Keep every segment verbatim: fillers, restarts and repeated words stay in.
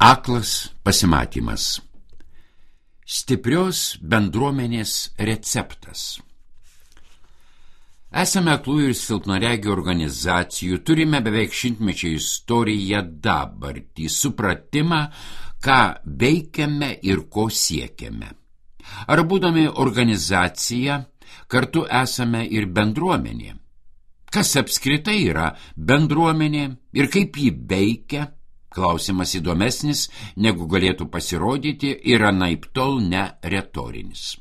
Aklas pasimatymas. Stiprios bendruomenės receptas. Esame aklųjų ir silpnaregių organizacijų, turime beveik šimtmečio istoriją, dabartį, supratimą, ką veikiame ir ko siekiame. Ar būdami organizacija, kartu esame ir bendruomenė. Kas apskritai yra bendruomenė ir kaip ji veikia? Klausimas įdomesnis, negu galėtų pasirodyti, ir anaiptol ne retorinis.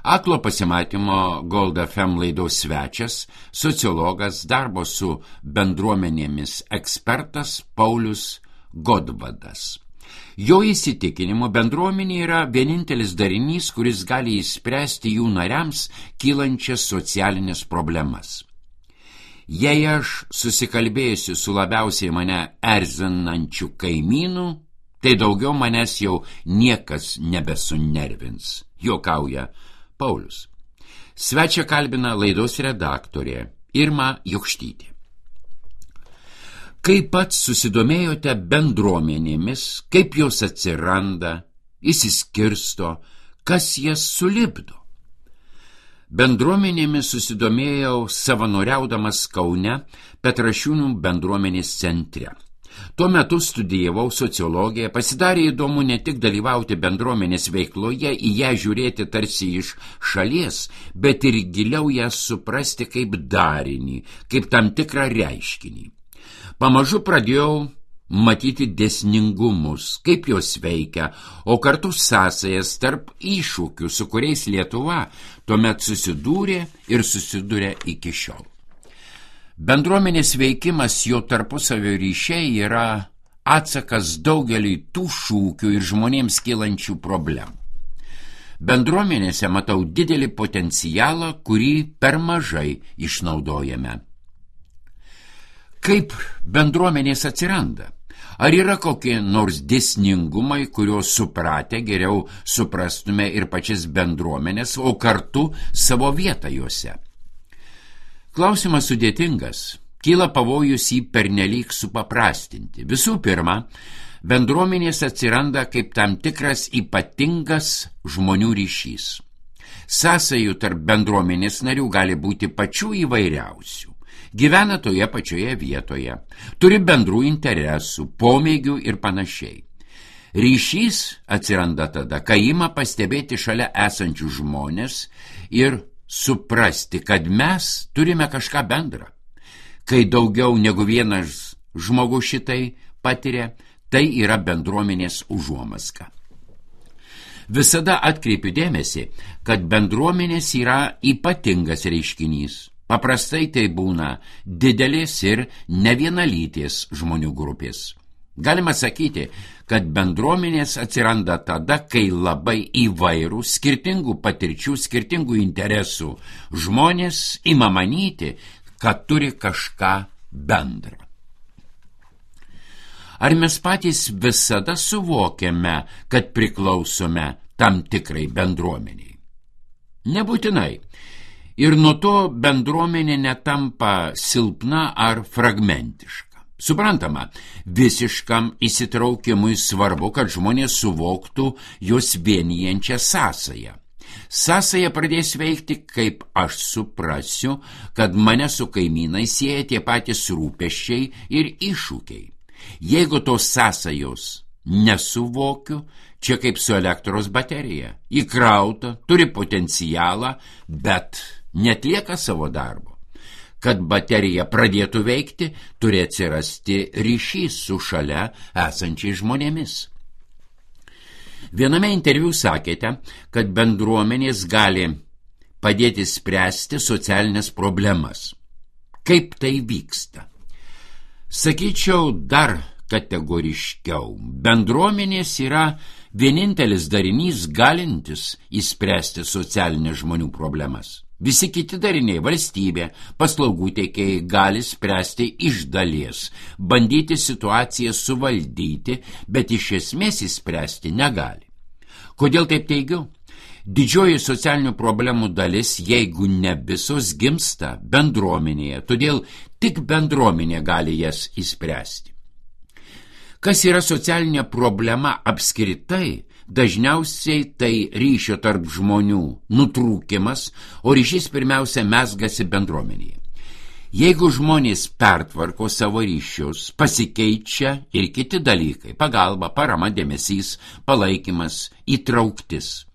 Aklo pasimatymo Gold F M laidos svečias, sociologas, darbo su bendruomenėmis ekspertas Paulius Godvadas. Jo įsitikinimu bendruomenė yra vienintelis darinys, kuris gali išspręsti jų nariams kylančias socialinės problemas. Jei aš susikalbėsiu su labiausiai mane erzinančiu kaimynu, tai daugiau manęs jau niekas nebesunervins, juokauja Paulius. Svečią kalbina laidos redaktorė Irma Jokštytė. Kaip pats susidomėjote bendruomenėmis, kaip jos atsiranda, išsiskirsto, kas jas sulipdo? Bendruomenėmis susidomėjau savanoriaudamas Kaune Petrašiūnų bendruomenės centre. Tuo metu studijavau sociologiją, pasidarė įdomu ne tik dalyvauti bendruomenės veikloje, į ją žiūrėti tarsi iš šalies, bet ir giliau ją suprasti kaip darinį, kaip tam tikrą reiškinį. Pamažu pradėjau matyti dėsningumus, kaip jos veikia, o kartu sąsajas tarp iššūkių, su kuriais Lietuva tuomet susidūrė ir susiduria iki šiol. Bendruomenės veikimas, jo tarpusavio ryšiai yra atsakas daugeliui tų šūkių ir žmonėms kylančių problemų. Bendruomenėse matau didelį potencialą, kurį per mažai išnaudojame. Kaip bendruomenės atsiranda? Ar yra kokie nors dėsningumai, kuriuos supratę geriau suprastume ir pačias bendruomenės, o kartu savo vietą juose? Klausimas sudėtingas, kyla pavojus jį pernelyg supaprastinti. Visų pirma, bendruomenės atsiranda kaip tam tikras ypatingas žmonių ryšys. Sąsajų tarp bendruomenės narių gali būti pačių įvairiausių. Gyvena toje pačioje vietoje, turi bendrų interesų, pomėgių ir panašiai. Ryšys atsiranda tada, kai ima pastebėti šalia esančių žmonės ir suprasti, kad mes turime kažką bendrą. Kai daugiau negu vienas žmogus šitai patiria, tai yra bendruomenės užuomazga. Visada atkreipiu dėmesį, kad bendruomenės yra ypatingas reiškinys. Paprastai tai būna didelės ir nevienalytės žmonių grupės. Galima sakyti, kad bendruomenės atsiranda tada, kai labai įvairių, skirtingų patirčių, skirtingų interesų žmonės ima manyti, kad turi kažką bendrą. Ar mes patys visada suvokiame, kad priklausome tam tikrai bendruomeniai? Nebūtinai. Ir nuo to bendruomenė netampa silpna ar fragmentiška. Suprantama, visiškam įsitraukimui svarbu, kad žmonės suvoktų jos vienijančią sąsają. Sąsaja pradės veikti, kaip aš suprasiu, kad mane su kaimynai sieja tie patys rūpesčiai ir iššūkiai. Jeigu tos sąsajos nesuvokiu, čia kaip su elektros baterija. Įkrauta, turi potencialą, bet netlieka savo darbo. Kad baterija pradėtų veikti, turi atsirasti ryšys su šalia esančiais žmonėmis. Viename interviu sakėte, kad bendruomenės gali padėti spręsti socialinės problemas. Kaip tai vyksta? Sakyčiau dar kategoriškiau. Bendruomenės yra vienintelis darinys galintis įspręsti socialinės žmonių problemas. Visi kiti dariniai, valstybė, paslaugų teikėjai gali spręsti iš dalies, bandyti situaciją suvaldyti, bet iš esmės įspręsti negali. Kodėl taip teigiu? Didžioji socialinių problemų dalis, jeigu ne visos, gimsta bendruomenėje, todėl tik bendruomenė gali jas įspręsti. Kas yra socialinė problema apskritai? Dažniausiai tai ryšio tarp žmonių nutrūkimas, o ryšys pirmiausia mezgasi bendruomenėje. Jeigu žmonės pertvarko savo ryšius, pasikeičia ir kiti dalykai – pagalba, parama, dėmesys, palaikymas, įtrauktis.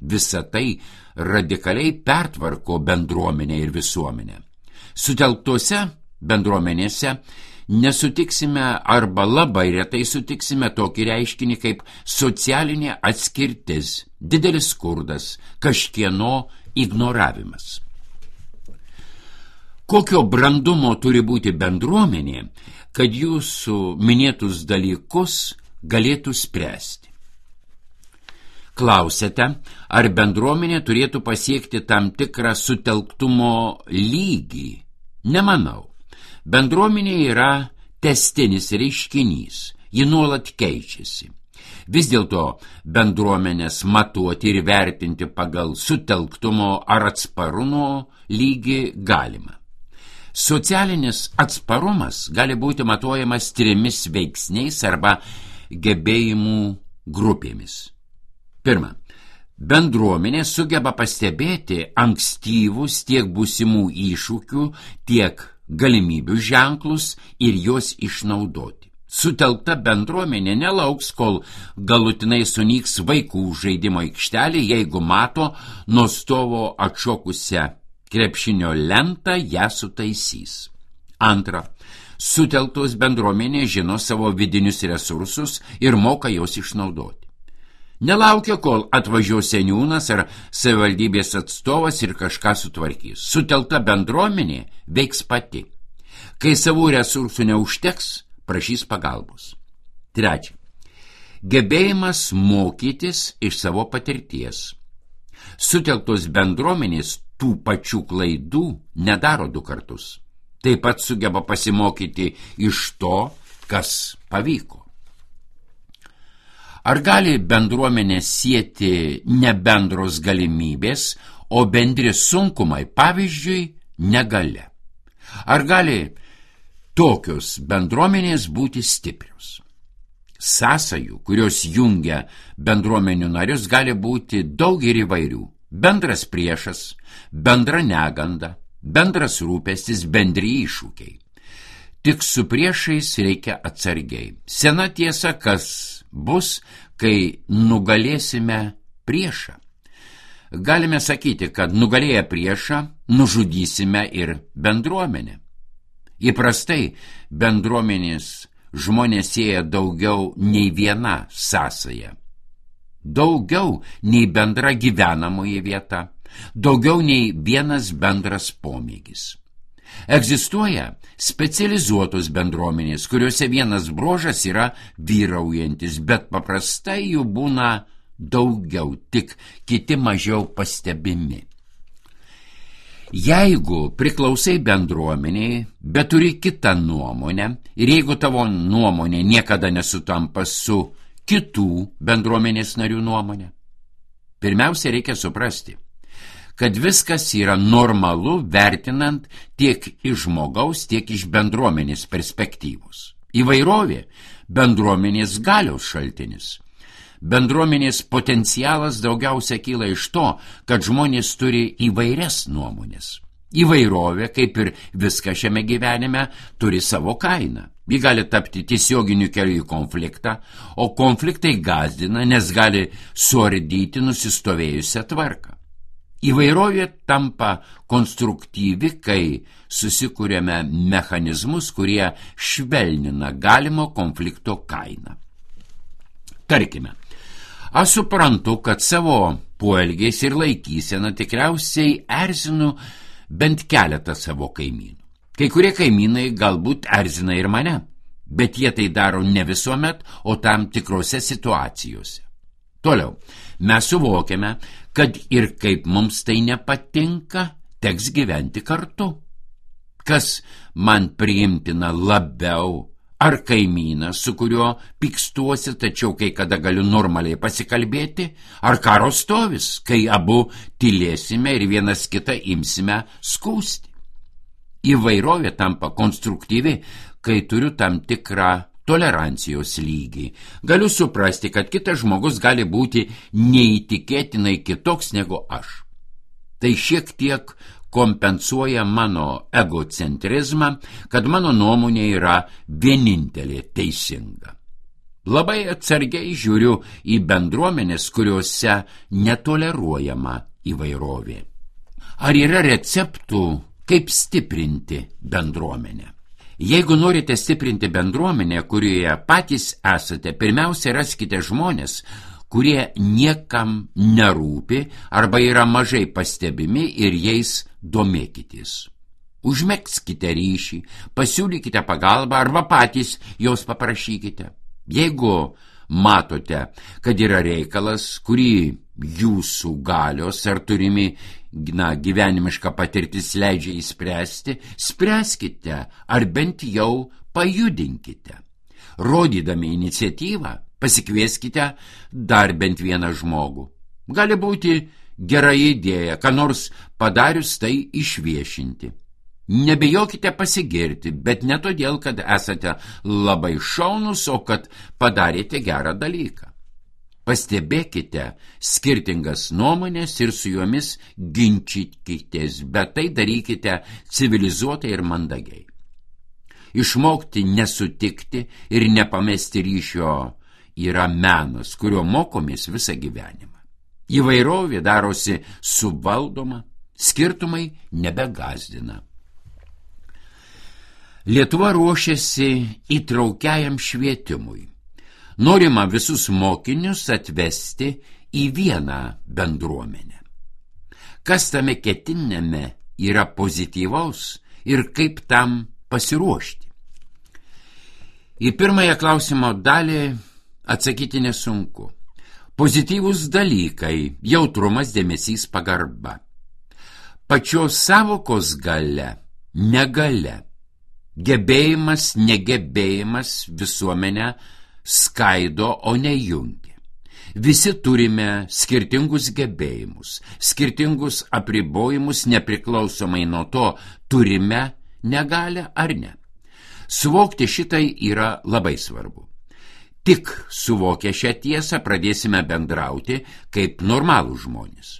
Visa tai radikaliai pertvarko bendruomenę ir visuomenę. Sutelktose bendruomenėse nesutiksime arba labai retai sutiksime tokį reiškinį kaip socialinė atskirtis, didelis skurdas, kažkieno ignoravimas. Kokio brandumo turi būti bendruomenė, kad jūsų minėtus dalykus galėtų spręsti? Klausėte, ar bendruomenė turėtų pasiekti tam tikrą sutelktumo lygį? Nemanau. Bendruomenė yra tęstinis reiškinys, ji nuolat keičiasi. Vis dėlto bendruomenės matuoti ir vertinti pagal sutelktumo ar atsparumo lygį galima. Socialinis atsparumas gali būti matuojamas trimis veiksniais arba gebėjimų grupėmis. Pirma, bendruomenė sugeba pastebėti ankstyvus tiek būsimų iššūkių, tiek galimybių ženklus ir juos išnaudoti. Sutelkta bendruomenė nelauks, kol galutinai sunyks vaikų žaidimo aikštelė, jeigu mato nuo stovo atšokusią krepšinio lentą, ją sutaisys. Antra, sutelktos bendruomenė žino savo vidinius resursus ir moka juos išnaudoti. Nelaukia, kol atvažiuos seniūnas ar savivaldybės atstovas ir kažką sutvarkys. Sutelkta bendruomenė veiks pati. Kai savų resursų neužteks, prašys pagalbos. Trečia, gebėjimas mokytis iš savo patirties. Sutelktos bendruomenės tų pačių klaidų nedaro du kartus. Taip pat sugeba pasimokyti iš to, kas pavyko. Ar gali bendruomenė sieti ne bendros galimybės, o bendri sunkumai, pavyzdžiui, negalia? Ar gali tokios bendruomenės būti stiprios? Sąsajų, kurios jungia bendruomenių narius, gali būti daug ir įvairių. Bendras priešas, bendra neganda, bendras rūpestis, bendri iššūkiai. Tik su priešais reikia atsargiai. Sena tiesa, kas bus, kai nugalėsime priešą. Galime sakyti, kad nugalėję priešą, nužudysime ir bendruomenę. Įprastai bendruomenės žmonės sieja daugiau nei viena sąsaja. Daugiau nei bendra gyvenamoji vieta, daugiau nei vienas bendras pomėgis. Egzistuoja specializuotos bendruomenės, kuriuose vienas bruožas yra vyraujantis, bet paprastai jų būna daugiau, tik kiti mažiau pastebimi. Jeigu priklausai bendruomeniai, bet turi kitą nuomonę, ir jeigu tavo nuomonė niekada nesutampa su kitų bendruomenės narių nuomonė, pirmiausia reikia suprasti, kad viskas yra normalu vertinant tiek iš žmogaus, tiek iš bendruomenės perspektyvos. Įvairovė bendruomenės galios šaltinis. Bendruomenės potencialas daugiausia kyla iš to, kad žmonės turi įvairias nuomonės. Įvairovė, kaip ir viską šiame gyvenime, turi savo kainą. Ji gali tapti tiesioginiu keliu į konfliktą, o konfliktai gąsdina, nes gali suardyti nusistovėjusią tvarką. Įvairovė tampa konstruktyvi, kai susikūrėme mechanizmus, kurie švelnina galimo konflikto kainą. Tarkime, aš suprantu, kad savo poelgiais ir laikyseną tikriausiai erzinu bent keletą savo kaimynų. Kai kurie kaimynai galbūt erzina ir mane, bet jie tai daro ne visuomet, o tam tikrose situacijose. Toliau, mes suvokiame, kad ir kaip mums tai nepatinka, teks gyventi kartu. Kas man priimtina labiau, ar kaimynas, su kuriuo pykstuosi, tačiau kai kada galiu normaliai pasikalbėti, ar karo stovis, kai abu tylėsime ir vienas kitą imsime skųsti. Įvairovė tampa konstruktyvi, kai turiu tam tikrą tolerancijos lygį. Galiu suprasti, kad kitas žmogus gali būti neįtikėtinai kitoks negu aš. Tai šiek tiek kompensuoja mano egocentrizmą, kad mano nuomonė yra vienintelė teisinga. Labai atsargiai žiūriu į bendruomenės, kuriuose netoleruojama įvairovė. Ar yra receptų, kaip stiprinti bendruomenę? Jeigu norite stiprinti bendruomenę, kurioje patys esate, pirmiausia raskite žmonės, kurie niekam nerūpi arba yra mažai pastebimi ir jais domėkitės. Užmegzkite ryšį, pasiūlykite pagalbą arba patys jos paprašykite. Jeigu matote, kad yra reikalas, kurį jūsų galios ar turimi na, gyvenimiška patirtis leidžia įspręsti, spręskite ar bent jau pajudinkite. Rodydami iniciatyvą, pasikvieskite dar bent vieną žmogų. Gali būti gera idėja, ką nors padarius tai išviešinti. Nebijokite pasigirti, bet ne todėl, kad esate labai šaunus, o kad padarėte gerą dalyką. Pastebėkite skirtingas nuomonės ir su jomis ginčykitės, bet tai darykite civilizuotai ir mandagiai. Išmokti nesutikti ir nepamesti ryšio yra menas, kurio mokomės visą gyvenimą. Įvairovė darosi suvaldoma, skirtumai nebegazdina. Lietuva ruošiasi įtraukiajam švietimui. Norima visus mokinius atvesti į vieną bendruomenę. Kas tame ketinime yra pozityvaus ir kaip tam pasiruošti? Į pirmąją klausimo dalį atsakyti nesunku. Pozityvūs dalykai – jautrumas, dėmesys, pagarba. Pačios savokos galia – negalia. Gebėjimas, negebėjimas visuomenę skaido, o ne jungia. Visi turime skirtingus gebėjimus, skirtingus apribojimus, nepriklausomai nuo to, turime negalią ar ne. Suvokti šitai yra labai svarbu. Tik suvokę šią tiesą pradėsime bendrauti kaip normalūs žmonės.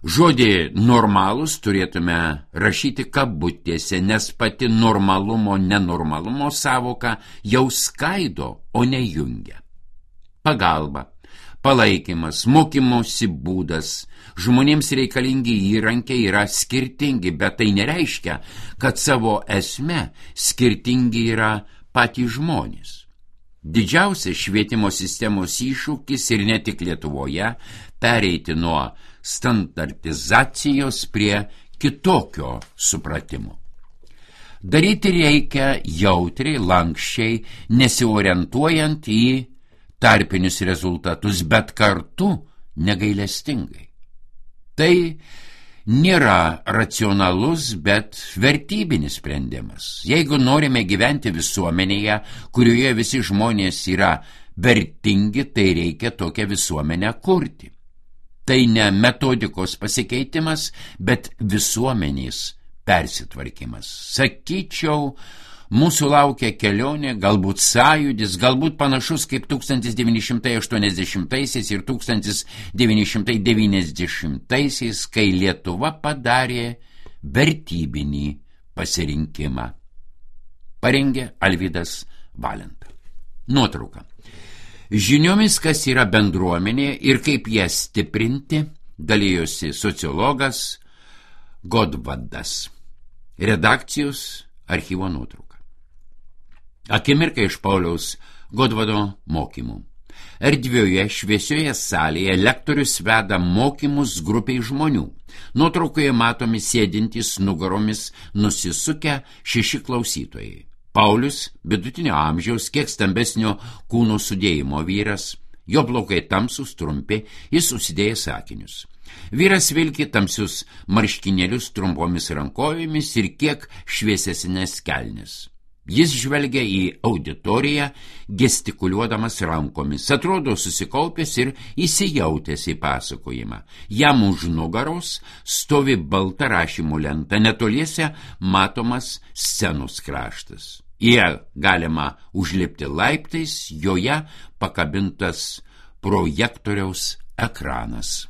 Žodį normalus turėtume rašyti kabutėse, nes pati normalumo, nenormalumo savoka jau skaido, o ne jungia. Pagalba, palaikymas, mokymosi būdas, žmonėms reikalingi įrankiai yra skirtingi, bet tai nereiškia, kad savo esme skirtingi yra patys žmonės. Didžiausias švietimo sistemos iššūkis ir ne tik Lietuvoje pereiti nuo standartizacijos prie kitokio supratimo. Daryti reikia jautriai, lankščiai, nesiorientuojant į tarpinius rezultatus, bet kartu negailestingai. Tai nėra racionalus, bet vertybinis sprendimas. Jeigu norime gyventi visuomenėje, kurioje visi žmonės yra vertingi, tai reikia tokią visuomenę kurti. Tai ne metodikos pasikeitimas, bet visuomenės persitvarkymas. Sakyčiau, mūsų laukia kelionė, galbūt sąjūdis, galbūt panašus kaip tūkstantis devyni šimtai aštuoniasdešimtaisiais ir tūkstantis devyni šimtai devyniasdešimtaisiais, kai Lietuva padarė vertybinį pasirinkimą. Parengė Alvydas Valenta. Nuotrauka. Žiniomis, kas yra bendruomenė ir kaip ją stiprinti, dalyjosi sociologas Godvadas. Redakcijos archyvo nuotrauka. Akimirka iš Pauliaus Godvado mokymų. Erdvioje, šviesioje salėje lektorius veda mokymus grupiai žmonių. Nuotraukoje matomi sėdintys nugaromis nusisukę šeši klausytojai. Paulius, vidutinio amžiaus, kiek stambesnio kūno sudėjimo vyras, jo plaukai tamsūs, trumpi, jis užsidėjęs akinius. Vyras vilki tamsius marškinėlius trumpomis rankovėmis ir kiek šviesesnės kelnes. Jis žvelgia į auditoriją, gestikuliuodamas rankomis, atrodo susikaupęs ir įsijautęs į pasakojimą. Jam už nugaros stovi balta rašymų lenta, netoliese matomas scenos kraštas. Jie galima užlipti laiptais, joje pakabintas projektoriaus ekranas.